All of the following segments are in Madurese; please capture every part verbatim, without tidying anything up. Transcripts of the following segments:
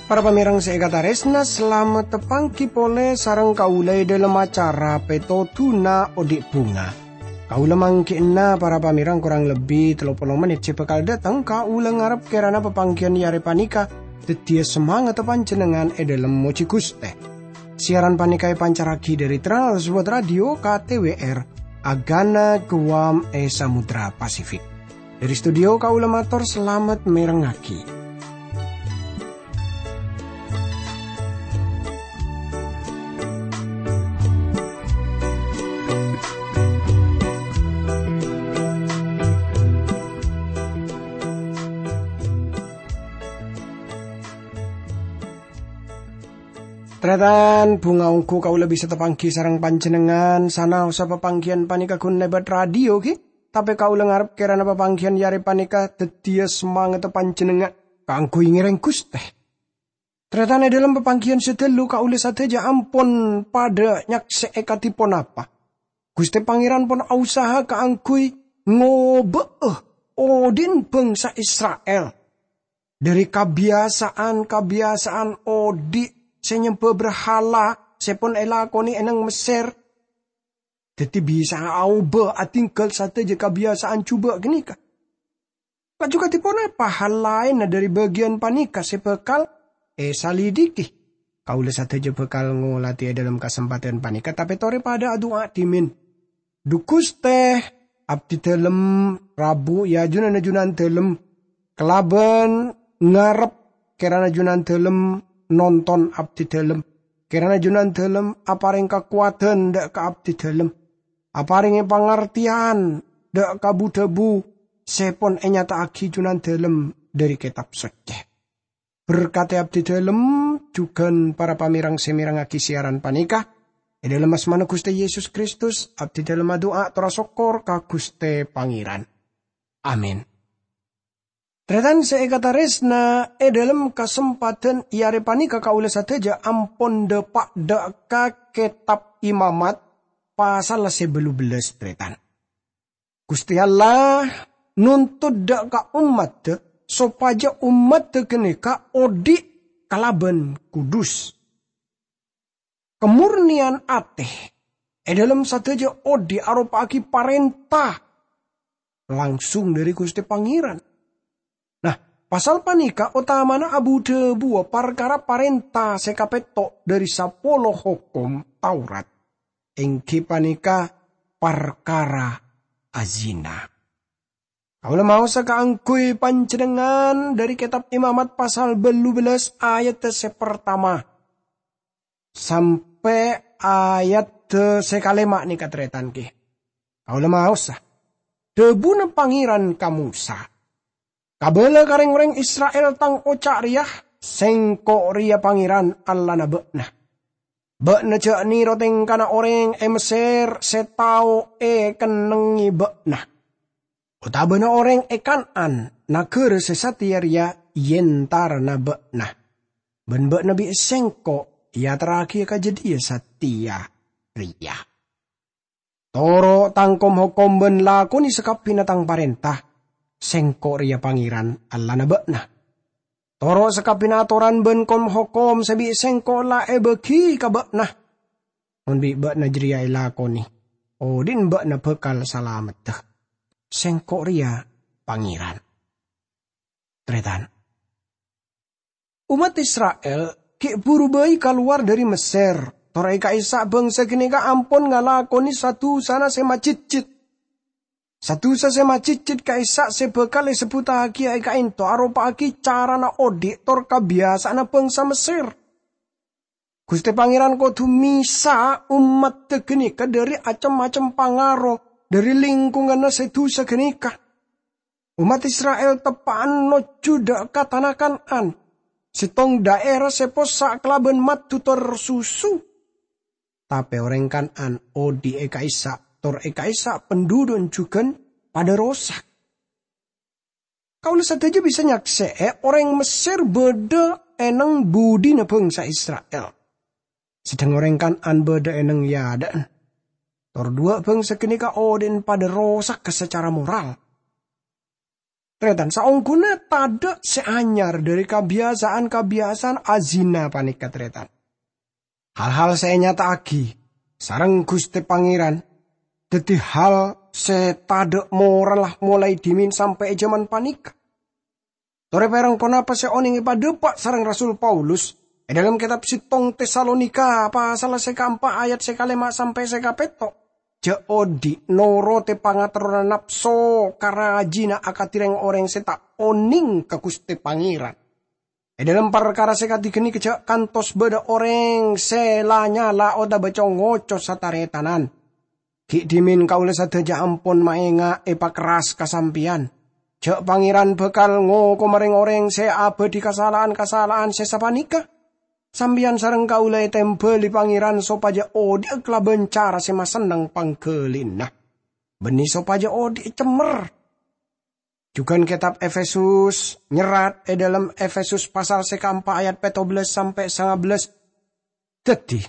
Para pamèrèng sè èkatarèsna, salamet tapangghi polè sareng kaulâ è dhâlem acara Pètodhuna Odi' Bhunga. Kaulâ mangghi'na para pamèrèng korang lebbi tello polo mennit sè bhâkal dâteng. Kaulâ ngarep kèrana papangghiyân è arè panèka dhâddhiyâ samangatta panjhennengngan è dhâlem mojhi Ghustè. Siaran panèka èpancarraghi dhâri Trans World Radio K T W R, Agana Guam è Samudra Pasifik. Dhâri studio kaulâ mator salamet mèrengngaghi. Tarètan, bhunga ongghu kaulâ bisa tapangghi sareng panjhennengngan, sanaossa papangghiyân panèka ghun lèbât radio, ghi? Tapè kaulâ ngarep kèrana papangghiyân è arè panèka dhâddhiyâ samangatta panjhennengngan kaangghuy ngèrèng Ghustè. Tarètan, è dhâlem papangghiyân sè dhâllu kaulâ sadhâjâ ampon padhâ nyaksè'è kadhi ponapa. Ghustè Pangèran pon ausaha kaangghuy ngobâ'â odi'na bhângsa Isra'il dhâri kabiyasaan-kabiyasaan odi' sè nyembhâ brahala sè pon èlakonè è nang Messèr. Dhâddhi bisa'a aobâ adhinggâl sadhâjâ kabiyasaan jhubâ' ghânèka. Laju kadhi ponapa hal laènna dhâri bâgiyân panèka sè bhâkal èsalidiki? Kaulâ sadhâjâ bhâkal ngolatè è dhâlem kasempadhân panèka, tapè torè padhâ adu'a dhimèn. Dhu Ghustè, abdhi dhâlem rabu è ajunanna Junandhâlem kalabân ngarep kèrana Junandhâlem nonton abdhi dhâlem. Kèrana Junandhâlem aparèng kakowadhân dhâ' ka abdhi dhâlem. Aparèngè pangartèyan dhâ' ka bu-dhâbu sè pon ènyata'aghi Junandhâlem dhâri Kètab Soccè. Berkadhi abdhi dhâlem jhughân para pamèrèng sè mèrengngaghi siaran panèka. È dhâlem asmana Ghustè Yesus Kristus, abdhi dhâlem adu'a tor asokkor ka Ghustè Pangèran. Amin. Tarètan sè èkatarèsna, è dhâlem kasempadhân è arè panèka kaulâ sadhâjâ ampon dâpa' dhâ' ka Kètab Imamat pasal sè bâllu bellâs, tarètan. Ghustè Allah nontot dhâ' ka ommaddhâ sopajâ ommaddhâ ghânèka odi' kalabân kudus. Kamornèyan atè è dhâlem sadhâjâ odi' aropa'aghi parènta langsung dhâri Ghustè Pangèran. Nah, pasal panèka otamana abu-dhâbuwâ parkara parènta sè kapètto' dhâri sapolo hokom Taurat, èngghi panèka parkara azina. Kaulâ maosa kaangghuy panjhennengngan dhâri Kètab Imamat pasal bâllu bellâs ayat sè partama sampè' ayat sè kalèma' nèka, tarètan, ghi. Kaulâ maosa. Dhâbuna Pangèran ka Mosa, "Kabâlâ ka rèng-orèng Isra'il Tang oca' rèya, 'Sèngko' rèya Pangèran Allahna bâ'na. Bâ'na jhâ' nèro tèngkana orèng è Messèr sè tao èkennengngè bâ'na, otabâna orèng è Kan'an, naghârâ sè satèya rèya è entarana bâ'na, bân bâ'na bi' Sèngko' èaterraghiyâ ka jâdiyâ satèya rèya. Toro' Tang kom-hokom bân lakonè sakabbhiyânna Tang parènta. Sèngko' rèya Pangèran Allahna bâ'na. Toro' sakabbhiyânna atoran bân kom-hokom sè bi' Sèngko' la èbâghi ka bâ'na. Mon bi' bâ'na jârèya èlakonè, odi'na bâ'na bhâkal salameddhâ. Sèngko' rèya Pangèran.'" Tarètan, ommat Isra'il ghi' buru bhâi kalowar dhâri Messèr, tor è ka'issa' bhângsa ghânèka ampon ngalakonè sa-dhusana sè majhitjhit. Sa-dhusa sè majhitjhit ka'issa' sè bhâkal èsebbhuttaghiyâ è ka'ènto aropa'aghi carana odi' tor kabiyasa'anna bhângsa Messèr. Ghustè Pangèran kodhu mèsa ommaddhâ ghânèka dhâri cem-macem pangaro dhâri lingkonganna sè dhusa ghânèka. Ommat Isra'il teppa'an nojjhu dhâ' ka tana Kan'an, sèttong dhaèra sè possa' kalabân maddhu tor susu. Tapè orèng Kan'an odi' è ka'issa' tor è ka'issa' pandhudhu'na jhughân padhâ rosak. Kaulâ sadhâjâ bisa nyaksè'è orèng Messèr bâdâ è nang budina bhângsa Isra'il. Sedheng orèng Kan'an bâdâ è neng è adâ'na. Tor duwâ' bhângsa ghânèka odi'na padâ rosagghâ sacara moral. Tarètan, saongghuna tadâ' sè anyar dhâri kabiyasa'an-kabiyasa'an azina panèka, tarètan. Hal-hal sè ènyata'aghi sareng Ghustè Pangèran dhâddhi hal sè tadâ' moralla molaè dhimèn sampè' è jhâman panèka. Torè pèrèng ponapa sè onèng èpadhâpa' sareng Rasul Paulus è dhâlem kètab sèttong Tesalonika pasal sè kaempa' ayat sè kalèma sampè' sè kapètto'? Jhâ' odi' norotè pangaterrona napso ka rajina akadhi rèng-orèng sè ta' onèng ka Ghustè Pangèran. È dhâlem parkara sè kadhi ghânèka jhâ' kantos bâdâ orèng sè la-nyala otabâ co-ngoco sataretanan. Ghi' dhimèn kaulâ sadhâjâ ampon maènga' èpakerras ka sampèyan. Jhâ' Pangèran bhâkal ngokoma rèng-orèng sè abâdhi kasala'an-kasala'an sè sapanèka. Sampèyan sareng kaulâ ètèmbhâli Pangèran sopajâ odi'â kalabân cara sè masenneng pangghâlina. Bânnè sopajâ odi' cemmer. Jhughân kètab Efesus nyerrat è dhâlem Efesus pasal sè kaempa' ayat pètto bellâs sampè' sanga bellâs. Dhâddhi,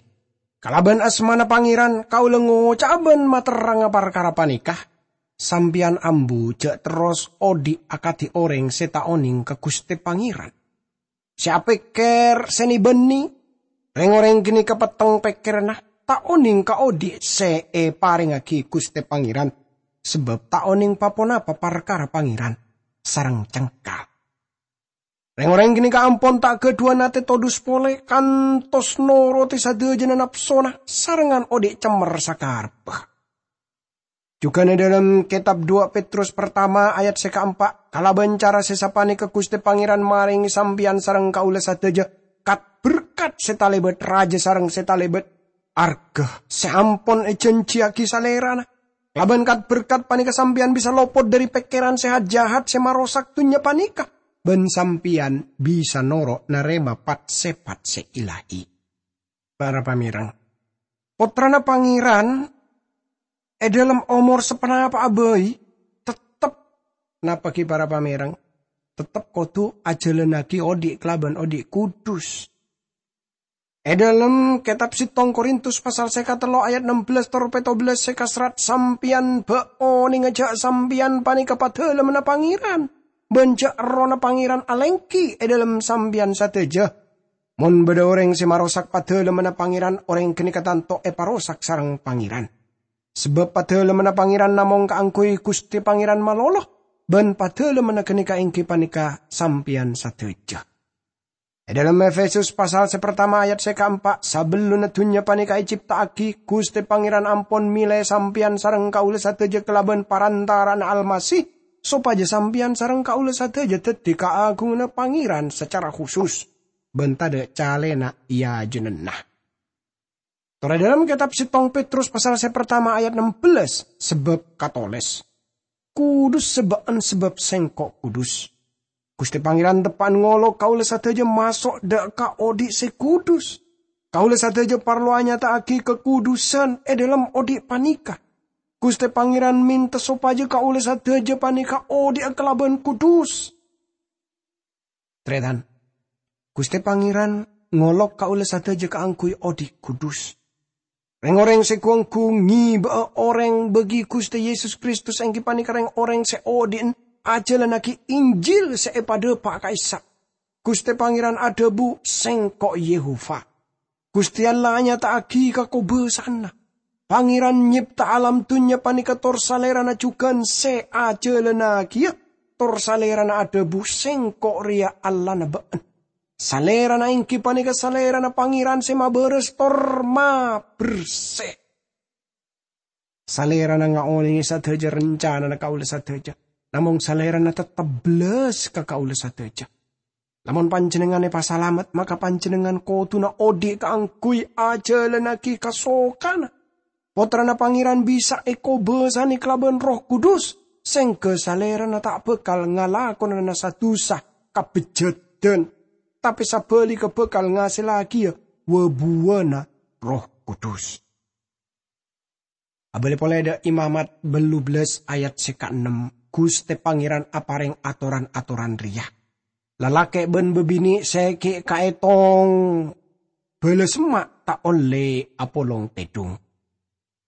kalabân asmana Pangèran kaulâ ngoca'a bân materrangnga parkara panèka, sampèyan ambu jhâ' terros odi' akadhi orèng sè ta' onèng ka Ghustè Pangèran. Sè apèkkèr sè nè-bânnè, rèng-orèng ghânèka petteng pèkkèranna, ta' onèng ka odi' sè èparèngaghi Ghustè Pangèran, sabâb ta' onèng pa-ponapa parkara Pangèran sareng cengkal. Rèng-orèng ghânèka ampon ta' ghâdhuwân atè todus polè, kantos norotè sadhâjâna napsona sarengngan odi' cemmer sakarebbhâ. Jhughân è dhâlem kètab duwâ' Petrus partama ayat sè kaempa', kalabân cara sè sapanèka Ghustè Pangèran marèngè sampèyan sareng kaulâ sadhâjâ kat-berkat sè talèbât rajâ sareng sè talèbât arghâ sè ampon èjhânjhiyaghi Salèrana. Kalabân kat-berkat panèka sampèyan bisa lopot dhâri pèkkèran sè jâ-, jahat sè marosak dhunnya panèka, bân sampèyan bisa noro' narèma pat-sèpat sè ilahi. Para pamèreng, Pottrana Pangèran è dhâlem omor saponapa'a bhâi, tettep, napa ghi para pamèreng, tettep kodhu ajhâlânnaghi odi' kalabân odi' kudus. È dhâlem kètab sèttong Korintus pasal sè katello ayat ennem bellâs tor pètto bellâs sè kaserrat, "Sampèyan bâ' onènga jhâ' sampèyan panèka padâlemmanna Pangèran, bân jhâ' Errohna Pangèran alèngghi è dhâlem sampèyan sadhâjâ." Mon bâdâ orèng sè marosak padâlemmanna Pangèran, orèng ghânèka tanto èparosak sareng Pangèran. Sabâb padâlemmanna Pangèran namong kaangghuy Ghustè Pangèran malolo, bân padâlemmanna ghânèka èngghi panèka sampèyan sadhâjâ. È dhâlem Efesus pasal sè partama ayat sè kaempa', "Sabellunna dhunnya panèka ècèpta'aghi, Ghustè Pangèran ampon mèlè sampèyan sareng kaulâ sadhâjâ kalabân parantara'anna Almasih, sopajâ sampèyan sareng kaulâ sadhâjâ dhâddhi kaagunganna Pangèran sacara khusus, bân tadâ' calèna è ajunanna." Torè dhâlem kètab sèttong Petrus pasal sè partama ayat ennem bellâs, sabâb katolès, "Kudus sabâ'ân sabâb Sèngko' kudus." Ghustè Pangèran teppa'an ngolok kaulâ sadhâjâ maso' dâ' ka odi' sè kudus. Kaulâ sadhâjâ parlo anyata'aghi kakudusan è dhâlem odi' panèka. Ghustè Pangèran mènta sopajâ kaulâ sadhâjâ panèka odi'â kalabân kudus. Tarètan, Ghustè Pangèran ngolok kaulâ sadhâjâ kaangghuy odi' kudus. Rèng-orèng sè ghu-ongghu ngèbâ'â orèng bâgi Ghustè Yesus Kristus èngghi panèka rèng-orèng sè odi'na ajhâlânnaghi Injil sè èpadhâpa' ka'issa'. Ghustè Pangèran adhâbu, "Sèngko' Yehova." Ghustè Allah anyata'aghi kakobâsa'anna. Pangèran nyèpta alam dhunnya panèka tor Salèrana jhughân sè ajhâlânnagiyâ, tor Salèrana adhâbu, "Sèngko' rèya Allahna bâ'na." Salèrana èngghi panèka Salèrana Pangèran sè mabârâs tor mabersè. Salèrana ngaonèngè sadhâjâ rancanana kaulâ sadhâjâ, namong Salèrana tettep bellas ka kaulâ sadhâjâ. Lamon panjhennengngan èpasalamet, maka panjhennengngan kodhuna odi' kaangghuy ajhâlânnaghi kasokanna. Pottrana Pangèran bisa èkobâsanè kalabân Erroh Kudus, sèngghâ Salèrana ta' bhâkal ngalakonana sa-dusa kabhejjhâdhân, tapè sabhâligghâ bhâkal ngasèllagiyâ wâ-buwâna Erroh Kudus. Abâli polè dâ' Imamat bâllu bellâs ayat sè kaennem, Ghustè Pangèran aparèng atoran-atoran rèya, "Lalakè' bân bâbinè' sè ghi' kaètong bâlâ semma' ta' ollè apolong tèdhung.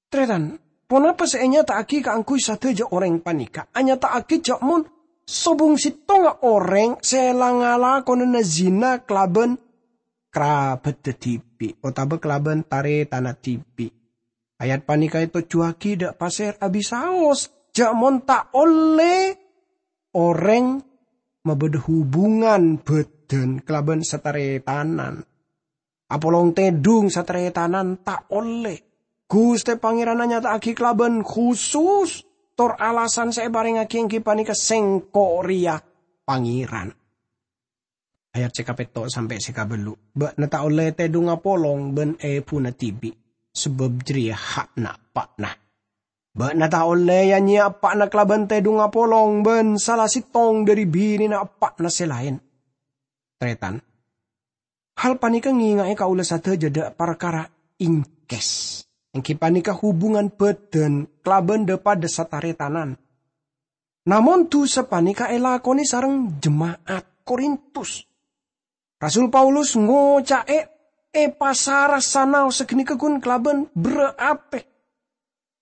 Tarètan, ponapa sè ènyata'aghi kaangghuy sadhâjâ orèng panèka? Anyata'aghi jhâ' mon sobung sèttonga orèng sè la ngalakonana zina kalabân karabhâddhâ dhibi' otabâ kalabân tarètanna dhibi'. Ayat panèka ètojjhuwâghi dâ' pasèra abisaos, jhâ' mon ta' ollè orèng mabâdâ hubungan bhâdhân kalabân sataretanan. Apolong tèdhung sataretanan ta' ollè. Ghustè Pangèran anyata'aghi kalabân khusus, tor alasan sè èparèngaghi èngghi panèka, "Sèngko' rèya Pangèran." Ayat sè kapètto' sampè' sè kabâllu', "Bâ'na ta' ollè tèdhung apolong bân èbhuna dhibi', sabâb jârèya ha'na eppa'na. Bâ'na ta' ollè ya-nyèya eppa'na kalabân tèdhung apolong bân sala sèttong dhâri binèna eppa'na sè laèn." Tarètan, hal panèka ngènga'è kaulâ sadhâjâ dâ' parkara èngkès, èngghi panèka hubungan bhâdhân kalabân dhâ-padâ sataretanan. Namong dhusa panèka èlakonè sareng jema'at Korintus. Rasul Paulus ngoca'è èpasarasana saghânèka ghun kalabân berrâ' atè.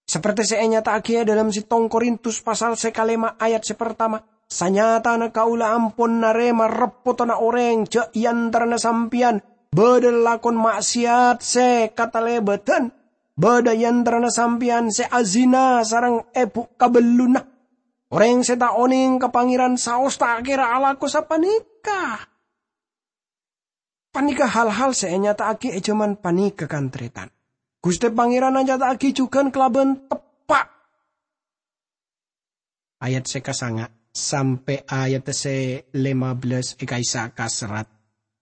Saperti sè ènyata'aghi è dâlem sèttong Korintus pasal sè kalèma' ayat sè partama, "Sanyatana kaulâ ampon narèma reppottanna orèng jhâ' è antarana sampèyan bâdâ lalakon ma'sèyat sè katalèbâdhân, bâdâ è antarana sampèyan sè azina sareng èbhu kabelluna. Orèng sè ta' onèng ka Pangèran saos ta' kèra alako sapanèka." Panèka hal-hal sè ènyata'aghi è jhâman panèka, kan-tarètan. Ghustè Pangèran anyata'aghi jhughân kalabân teppa'. Ayat sè kasanga' sampè' ayat sè lèma bellâs è ka'issa' kaserrat,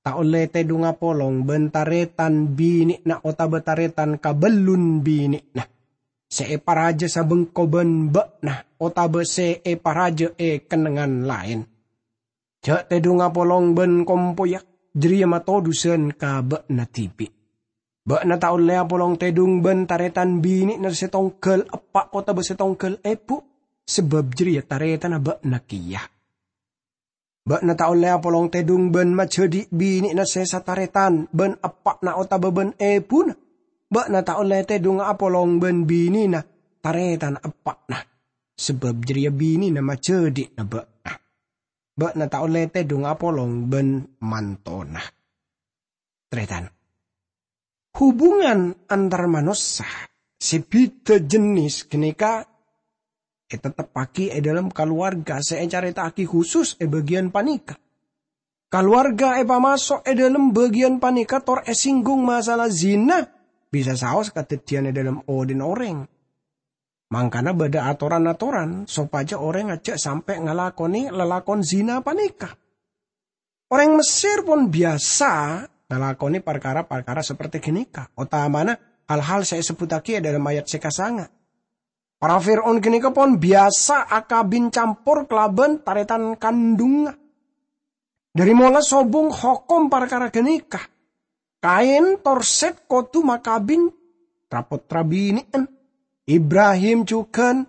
"Ta' ollè tèdhung apolong bân tarètan binè'na otabâ tarètan kabellun binè'na, sè èparajâ sabengko bân bâ'na otabâ sè èparajâ è kennengngan laèn. Jhâ' tèdhung apolong bân kompoyya, jârèya matodusân ka bâ'na dhibi'. Bâ'na ta' ollè apolong tèdhung bân tarètan binè'na sè tongghâl eppa' otabâ sè tongghâl èbhu, sabâb jârèya tarètanna bâ'na kèya. Bâ'na ta' ollè apolong tèdhung bân majhâdhi' binè'na sè satarètan bân eppa'na otabâ bân èbhuna. Bâ'na ta' ollè tèdhung apolong bân binèna tarètan eppa'na, sabâb jârèya binèna majhâdhi'na bâ'na. Bâ'na ta' ollè tèdhung apolong bân mantona." Tarètan, hubungan antar manossa sè bhidhâ jennès ghânèka ètetteppaghi è dâlem kalowarga sè ècarèta'aghi khusus è bâgiyân panèka. Kalowarga èpamaso' è dâlem bâgiyân panèka tor èsinggung masalah zina bisa saos kadhâddhiyân è dâlem odhi'na orèng. Mangkana bâdâ atoran-atoran sopajâ orèng jhâ' sampè' ngalakonè lalakon zina panèka. Orèng Messèr pon biyasa ngalakonè parkara-parkara saperti ghânèka, otamana hal-hal sè èsebbhuttaghi è dâlem ayat sè kasanga'. Para Fir'aun ghânèka pon biyasa akabin campor kalabân tarètan kandhungnga. Dhâri mola sobung hokom parkara ghânèka, Kain tor Sèt kodhu makabin tra-pottra binè'an. Ibrahim jhughân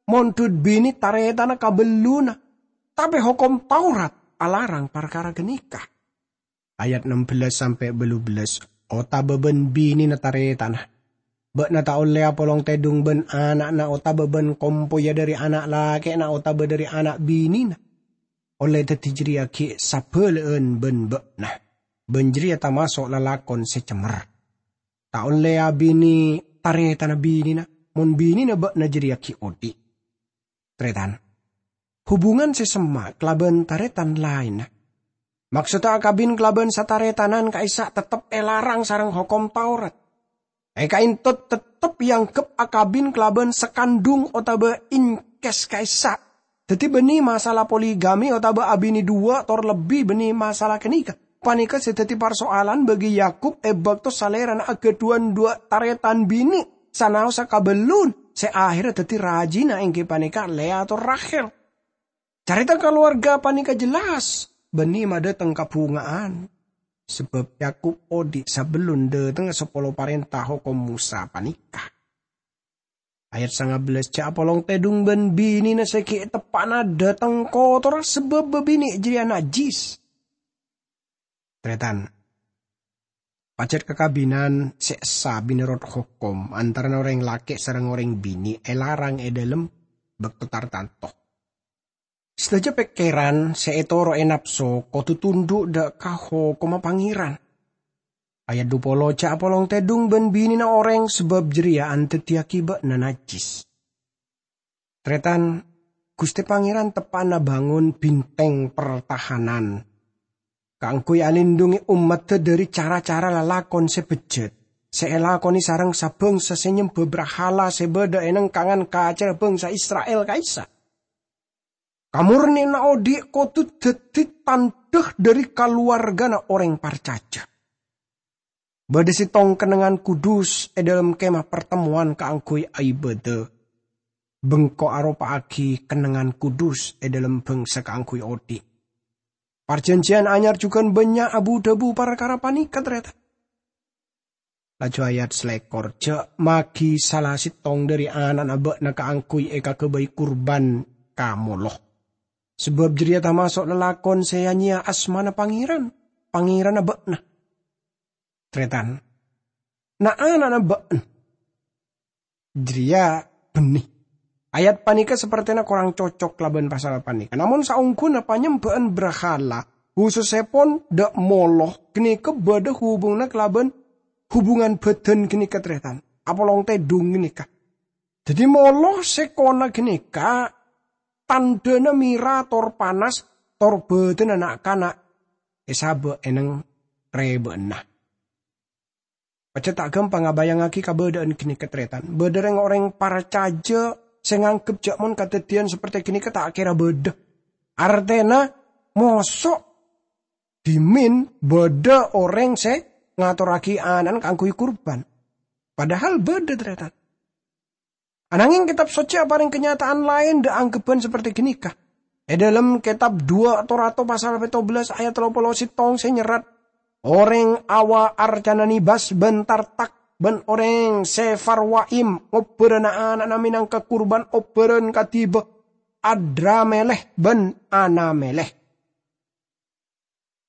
mondhut binè tarètanna kabellunna, tapè hokom Taurat alarang parkara ghânèka. Ayat nem bellâs sampè' bâllu bellâs, otabâ bân binèna tarètanna. Bâ'na ta' ollè apolong tèdhung bân ana'na otabâ bân kompoyya dhâri ana' lakè'na otabâ dhâri ana' binèna. Ollè dhâddhi jârèya ghi' sabhâlâ'ân bân bâ'na, bân jârèya tamaso' lalakon sè cemmer. Ta' ollè abinè tarètanna binèna, mon binèna bâ'na jârèya ghi' odhi'. Tarètan, hubungan sè semma' kalabân tarètan laènna. Maksodda akabin kalabân satarètanan ka'issa' tettep èlarang sareng hokom Taurat. È ka'dinto tettep èangghep akabin kalabân sakandhung otabâ incès ka'issa'. Dhâddhi bânnè masalah poligami otabâ abinè duwâ' tor lebbi bânnè masalah ghânèka. Panèka sè dhâddhi parsoalan bagi Yakub è bâkto salèrana aghâdhuwân duwâ' tarètan binè sanaossa kabellun sè aherra dhâddhi rajina, èngghi panèka Lea tor Rahel. Carèta kalowarga panèka jelas bânnè madâteng kabhunga'an, sabâb Yakub odhi' sabellun dhâtengnga sapolo parènta hokom Mosa panèka. Ayat sanga bellâs, "Jhâ' apolong tèdhung bân binèna sè ghi' teppa'na dhâteng kotorra, sabâb bâbinè' jârèya najjhis." Tarètan, Pajhât kakabinan sè essa mènorot hokom antarana orèng lakè' sareng orèng binè' èlarang è dhâlem bâkto tartanto. Sadhâjâ pèkkèran sè ètoro'è napso kodhu tundhu' dhâ' ka hokomma Pangèran. Ayat dupolo, "Jhâ' apolong tèdung bân binèna orèng, sabâb jârèya andhâddhiyâghi bâ'na najjhis." Tarètan, Ghustè Pangèran teppa'na bângon bhintèng partahanan kaangghuy alindhungè ommaddhâ dhâri cara-cara lalakon sè bejjhât sè èlakonè sareng sabhângsa sè nyembhâ brahala sè bâdâ è nengkangan kacèra bhângsa Isra'il ka'issa'. Kamornèyanna odi' kodhu dhâddhi tandhâ dhâri kalowarghâna orèng parcajâ. Bâdâ sèttong kennengngan kudus è dhâlem Kemah Partemmowan kaangghuy aibâdâ. Bengko aropa'aghi kennengngan kudus è dhâlem bhângsa kaangghuy odi'. Parjhânjhiyân Anyar jhughân bânnya' abu-dhâbu parkara panèka, tarètan. Laju ayat salèkor, "Jhâ' maghi sala sèttong dhâri ana'na bâ'na kaangghuy èkaghâbây kurban ka molo. Sabâb jârèya tamaso' lalakon sè ya-nyèya asmana Pangèran, Pangèranna bâ'na." Tarètan, na'-ana'na bâ'na jârèya bânnè. Ayat panèka sapertèna korang cocok kalabân pasal panèka. Namong saongghuna panyembhâ'ân brahala, khusussèpon dhâ' molo, ghânèka bâdâ hubunganna kalabân hubungan bhâdhân ghânèka, tarètan. Apolong tèdung ghânèka. Dhâddhi molo sè kona ghânèka tandhâna mèra tor panas tor bâdâna na'-kana' èsabâ' è neng rèbâ'ânna. Pajhât ta' ghâmpang abayangngaghi kabâdâ'ân ghânèka, tarètan. Bâdâ rèng-orèng parcajâ sè nganggep jhâ' mon kadhâddhiyân saperti ghânèka ta' kèra bâdâ. Artèna, moso' dhimèn bâdâ orèng sè ngatorraghi ana'na kaangghuy kurban. Padahal bâdâ, tarètan. Anangèng Kètab Soccè aparèng kanyata'an laèn dhâ' anggheppan saperti ghânèka. È dhâlem Kètab duwâ' Torato pasal pètto bellâs ayat tello polo sèttong sè nyerrat, "Orèng Awa arcana Nibas bân Tartak bân orèng Sefarwaim ngobbhârâ na'-ana'na mènangka kurban obbhârân kadhiba Adrameleh bân Anameleh."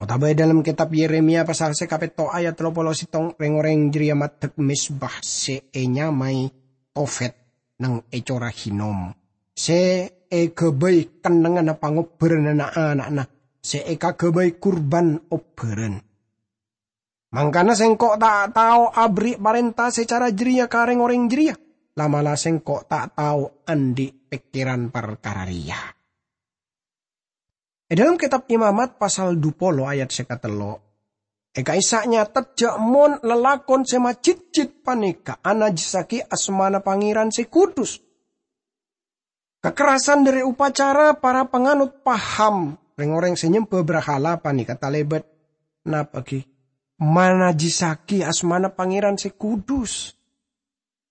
Otabâ è dhâlem Kètab Yeremia pasal sè kapètto ayat tello polo sèttong, rèng-orèng jârèya maddhek mezbah sè ènyamaè Tofet neng è Cora Hinom, sè èghâbây kennengnganna pangobbhârânna na'-ana'na sè èkaghâbây kurban obbhârân. Mangkana sèngko' ta' tao aberri' parènta sè cara jârèya ka rèng-orèng jârèya, la'-mala' sèngko' ta' tao andi' pèkkèran parkara rèya. È dhâlem Kètab Imamat pasal dupolo ayat sè katello, è ka'issa' nyatet jhâ' mon lalakon sè majhitjhit panèka anajjissaghi asmana Pangèran sè kudus. Kakerrasan dhâri upacara para panganut paham, rèng-orèng sè nyembhâ brahala panèka talèbât napa ghi? Manajjissaghi asmana Pangèran sè kudus.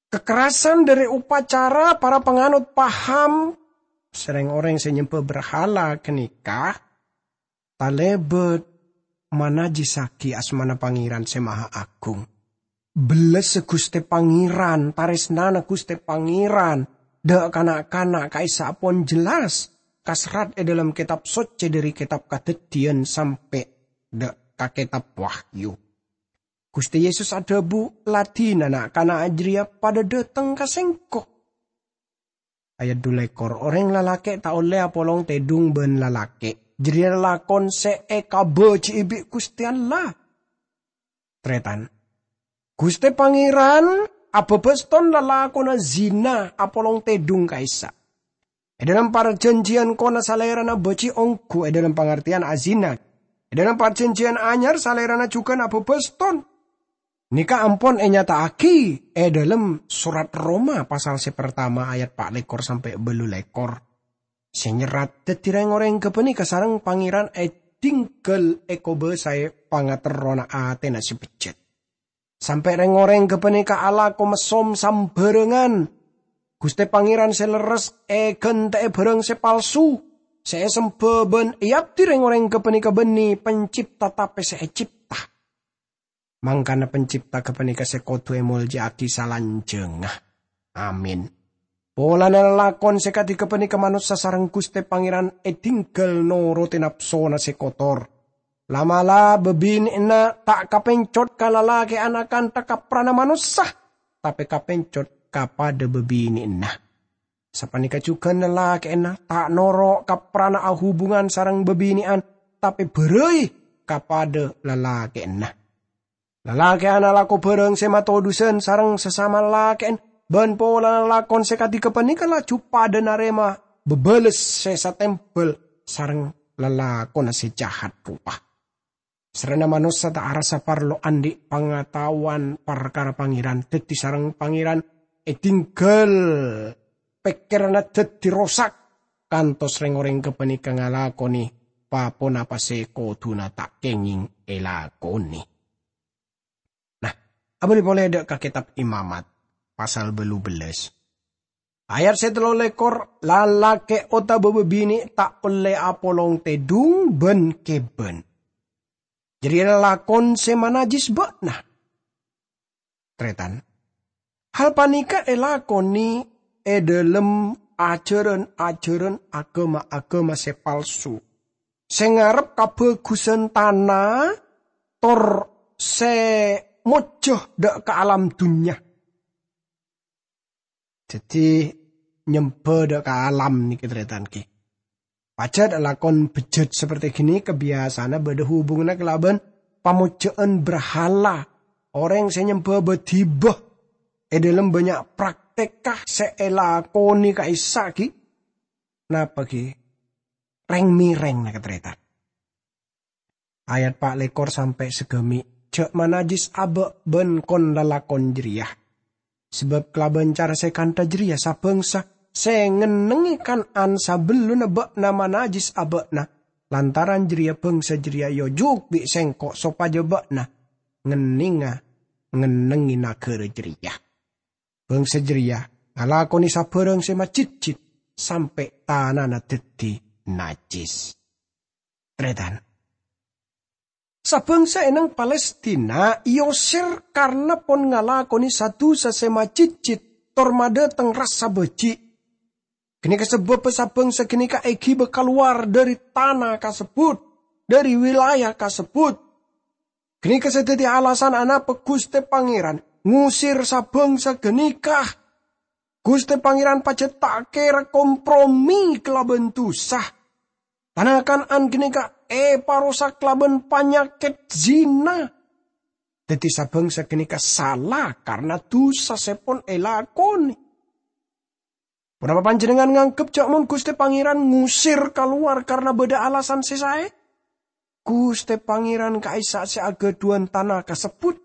Kakerrasan dhâri upacara para panganut paham, sè rèng-orèng sè nyembhâ brahala ghânèka talèbât manajjissaghi asmana Pangèran Sè Maha Agung. Bellessa Ghustè Pangèran, tarèsnana Ghustè Pangèran dhâ' kana'-kana' ka'issa' pon jelas kaserrat è dhâlem Kètab Soccè dhâri Kètab Kadhâddhiyân sampè' dhâ' ka Kètab Wahyu. Ghustè Yesus adhâbu, "La dinah na'-kana' jârèya padâ dhâteng ka Sèngko'." Ayat dulekor, "Orèng lalakè' ta' ollè apolong tèdung bân lalakè'. Jârèya lalakon sè èkabâji'i bi' Ghustè Allah." Tarètan, Ghustè Pangèran abhâbhâston lalakonna zina apolong tèdung ka'issa'. È dhâlem parjhânjhiyân kona Salèrana bâji' ongghu è dhâlem pangartèyan azina. È dhâlem parjhânjhiyân anyar Salèrana jhughân abhâbhâston. Nèka ampon ènyata'aghi è dhâlem sorat Roma pasal sè partama ayat pa' lèkor sampè' bâllu lèkor. Sè nyerrat dhâddhi rèng-orèng ghâpanèka sareng Pangèran èdinggal èkobâsaè pangaterrona atèna sè bejjhât. Sampè' rèng-orèng ghâpanèka alako messom sambhârângan. Ghustè Pangèran sè lerres èghântè'è bhârâng sè palsu, sè èsembhâ bân èabdi rèng-orèng ghâpanèka bânnè Pencipta tapè sè ècipta. Mangkana Pencipta ghâpanèka sè kodhu èmoljâ'aghi salanjhângnga. Amin. Polana lalakon sè kadhi ghâpanèka manossa sareng Ghustè Pangèran èdinggal norotè napsona sè kotor. La'-mala' babine'anna ta' kapencot ka lalakè'an akantha kaprana manossa, tapè kapencot ka padâ babine'anna. Sapanèka jhughân lalakè'anna ta' noro' kaprana ahubungan sareng babine'an, tapè bârâi ka padâ lalakè'anna. Lalakè'an alako bhârâng sè matodhusan sareng sasama lalakè'an, bân polana lalakon sè kadhi gapanèka laju padâ narèma bâbâles sè satèmbhâl sareng lalakonna sè jahat ropa. Sarrèna manossa ta' arassa parlo andi' pangataowan parkara Pangèran, dhâddhi sareng Pangèran èdinggal pèkkèranna dhâddhi rosak, kantos rèng-orèng gapanèka ngalakonè pa-ponapa sè kodhuna ta' kèngèng èlakonè. Nah, abâli polè dâ' ka Kètab Imamat, pasal bâllu bellâs. Ayat sè tello lèkor, "Lalakè' otabâ bâbinè' ta' ollè apolong tèdung bân kèbân. Jârèya lalakon sè manajjis bâ'na." Tarètan, hal panèka èlakonè è dhâlem ajhârân-ajhârân aghâma-aghâma sè palsu, sè ngarep kabhâghusân tana, tor sè mojjhâ dâ' ka alam dhunnya. Dhâddhi, nyembhâ dâ' ka alam nèka, tarètan, ghi. Pajhât lakon bejjhât saperti ghânèka biyasana bâdâ hubunganna kalabân pamojjhâ'ân brahala. Orèng sè nyembhâ bâdhibâ è dhâlem bânnya' praktekka sè èlakonè ka'issa' ghi. Napa ghi? Rèng-mèrèng, nèka, tarètan. Ayat pa' lèkor sampè' sagâmè', "Jhâ' manajjis abâ' bân kon-lalakon jârèya. Sabâb kalabân cara sè kantha jârèya, sa-bhângsa sè ngennengngè kan-, an sabellunna bâ'na manajjis abâ'na, lantaran jârèya bhângsa jârèya èojuk bi' Sèngko' sopajâ bâ'na ngennengnga, ngennengngè naghârâ jârèya. Bhângsa jârèya ngalakonè sabhârâng sè majhitjhit sampè' tanana dhâddhi najjis." Tarètan. Sa-bhângsa è nang Palestina èoser karna pon ngalakonè sa-dusa sè majhitjhit tor madhâteng rassa bâji'. Ghânèka sabâbbhâ sa-bhângsa ghânèka èghibâ kalowar dhâri tana kasebbhut, dhâri wilayah kasebbhut. Ghânèka sè dhâddhi alasan anapa Ghustè Pangèran ngosèr sa-bhângsa ghânèka. Ghustè Pangèran pajhât ta' kèra kompromi kalabân dusa. Tana Kan'an ghânèka èparosak kalabân panyakèt zina. Dhâddhi, sa-bhângsa ghânèka sala karna dusa sè pon èlakonè. Ponapa panjhennengngan nganggep jhâ' mon Ghustè Pangèran ngosèr kalowar karna bâdâ alasan sè saè? Ghustè Pangèran ka'issa' sè aghâdhuwân tana kasebbhut.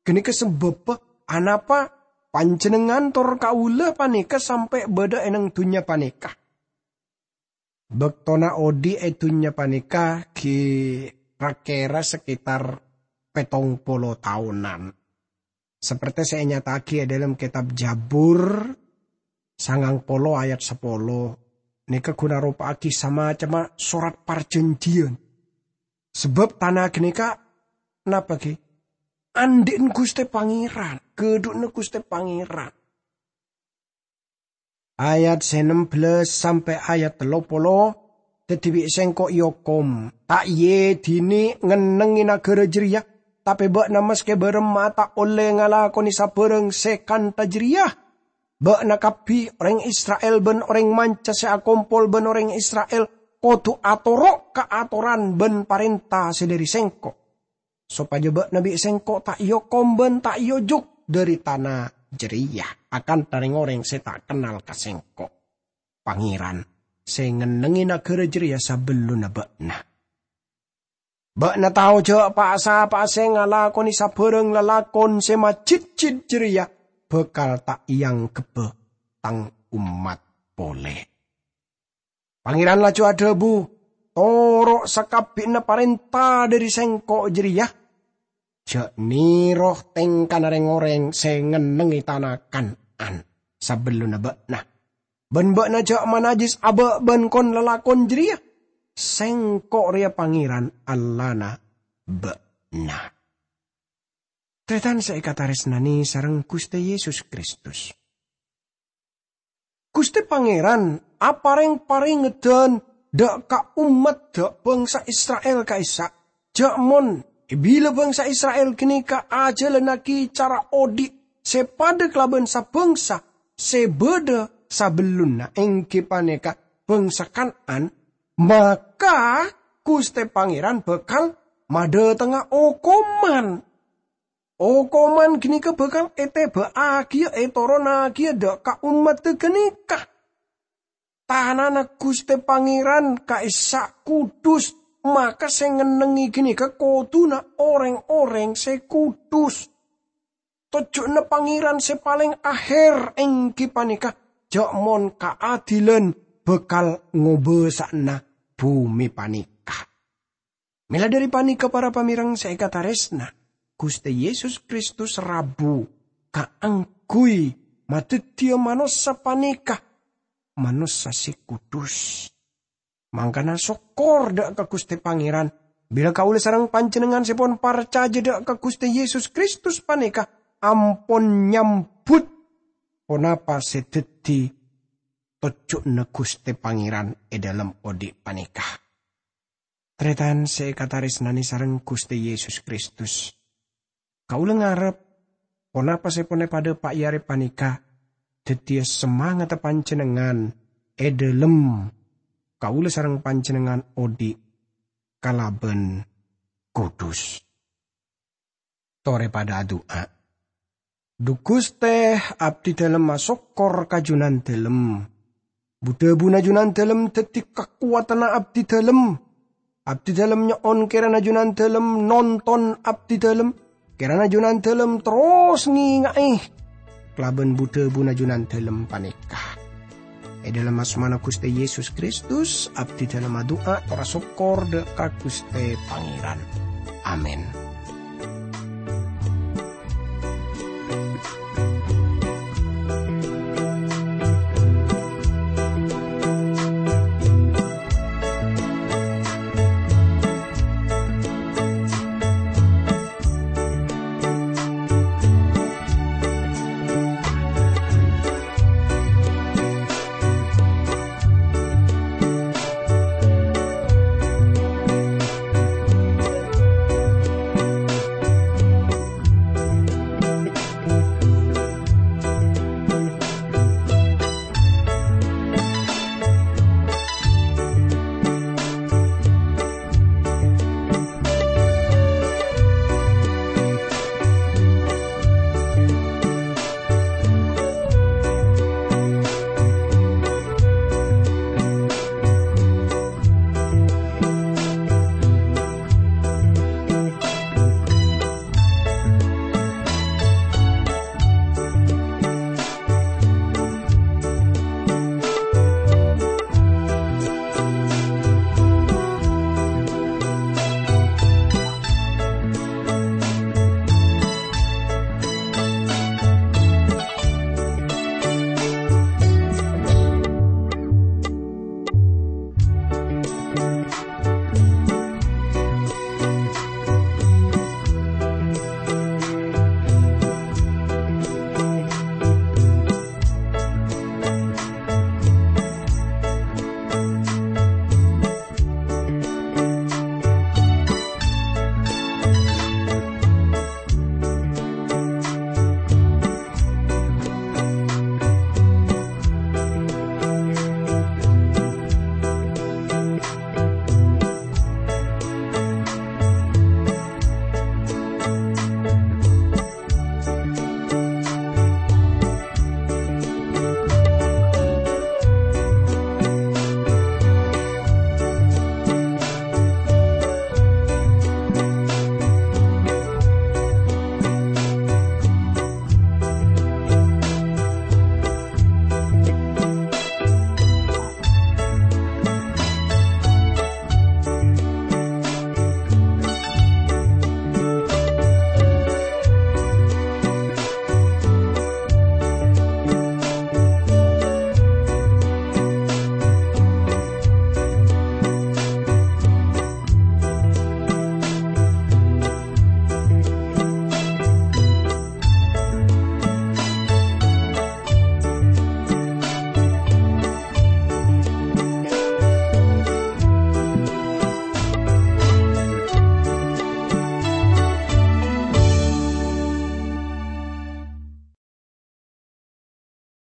Ghânèka sabâbbhâ anapa panjhennengngan tor kaulâ panèka sampè' bâdâ è nang dhunnya panèka. Bâktona odi' è dhunnya panèka ghi' ra-kèra saketar pèttong polo taonan. Sapertè sè ènyata'aghi è dhâlem kètab Jabur sangang polo ayat sapolo, nèka ghun aropa'aghi samacemma sorat parjhânjhiyân. Sabâb tana ghânèka napa ghi? Andi'na Ghustè Pangèran, ghâdhuwânna Ghustè Pangèran. Ayat sè nembellâs sampè' ayat tello polo, dhâddhi bi' Sèngko' èokom, ta' iyâ dinè ngennengngè naghârâ jârèya, tapè bâ'na maskè bârâmma ta' ollè ngalakonè sabhârâng sè kantha jârèya. Bâ'na kabbhi, orèng Isra'il bân orèng manca sè akompol bân orèng Isra'il, kodhu atoro' ka atoran bân parènta sè dhâri Sèngko'. Sopajâ bâ'na bi' Sèngko' ta' èokom bân ta' èojuk dhâri tana jârèya, akantha rèng-orèng sè ta' kennal ka Sèngko', Pangèran, sè ngennengngè naghârâ jârèya sabellunna bâ'na. Bâ'na tao jhâ' pa'-sapa'a sè ngalakonè sabhârâng lalakon sè majhitjhit jârèya bhâkal ta' èangghebbhâ Tang ommat polè. Pangèran laju adhâbu, "Toro' sakabbhiyanna parènta dhâri Sèngko' jârèya. Jhâ' nèro tèngkana rèng-orèng sè ngennengngè tana Kan'an sabellunna bâ'na. Bân bâ'na jhâ' manajjis abâ' bân kon-lalakon jârèya. Sèngko' rèya Pangèran, Allahna bâ'na." Tarètan sè èkatarèsnanè sareng Ghustè Yesus Kristus. Ghustè Pangèran aparèng parèngedhân dâ' ka ommat dâ' bhângsa Isra'il ka'issa'. Ja' mon, bilâ bangsa Isra'il ghânèka ajhâlannaghi cara odi' sè padâ kalabân sa-bangsa sè bâdâ sabellunna, èngghi panèka bangsa Kan'an, maka Ghustè Pangèran bhâkal madhâtengnga okoman. Okoman ghânèka bhâkal ètèbâ'âghiyâ, ètoronnaghiyâ dâ' ka ommaddhâ ghânèka. Tanana Ghustè Pangèran ka'issa' kudus, maka sè ngennengngè ghânèka kodhuna orèng-orèng sè kudus. Tojjhuna Pangèran sè palèng ahèr èngghi panèka ja' mon kaadilan bhâkal ngobâsa'ana bhumè panèka. Mèla dhâri panèka, para pamèreng sè èkatarèsna, Ghustè Yesus Kristus rabu kaangghuy madhâddhiyâ manossa panèka, manossa sè kudus. Mangkana sokkor dâ' ka Ghustè Pangèran, bilâ kaulâ sareng panjhennengngan sè pon parcajâ dâ' ka Ghustè Yesus Kristus panèka ampon nyambhut ponapa sè dhâddhi tojjhuna Ghustè Pangèran è dhâlem odi' panèka. Tarètan sè èkatarèsnanè sareng Ghustè Yesus Kristus, kaulâ ngarep ponapa sè pon èpadhâpa'i arè panèka dhâddhiyâ samangatta panjhennengngan è dhâlem kaulâ sareng panjhennengngan odi' kalabân kudus. Torè padâ adu'a. Dhu Ghustè, abdhi dhâlem asokkor ka Junandhâlem. Bu-dhâbuna Junandhâlem dhâddhi kakowadhânna abdhi dhâlem. Abdhi dhâlem nyo'on kèrana Junandhâlem nonton abdhi dhâlem. Kèrana Junandhâlem terros ngènga'è kalabân bu-dhâbuna Junandhâlem panèka. È dhâlem asmana Ghustè Yesus Kristus, abdhi dhâlem adu'a tor asokkor dâ' ka Ghustè Pangèran. Amin.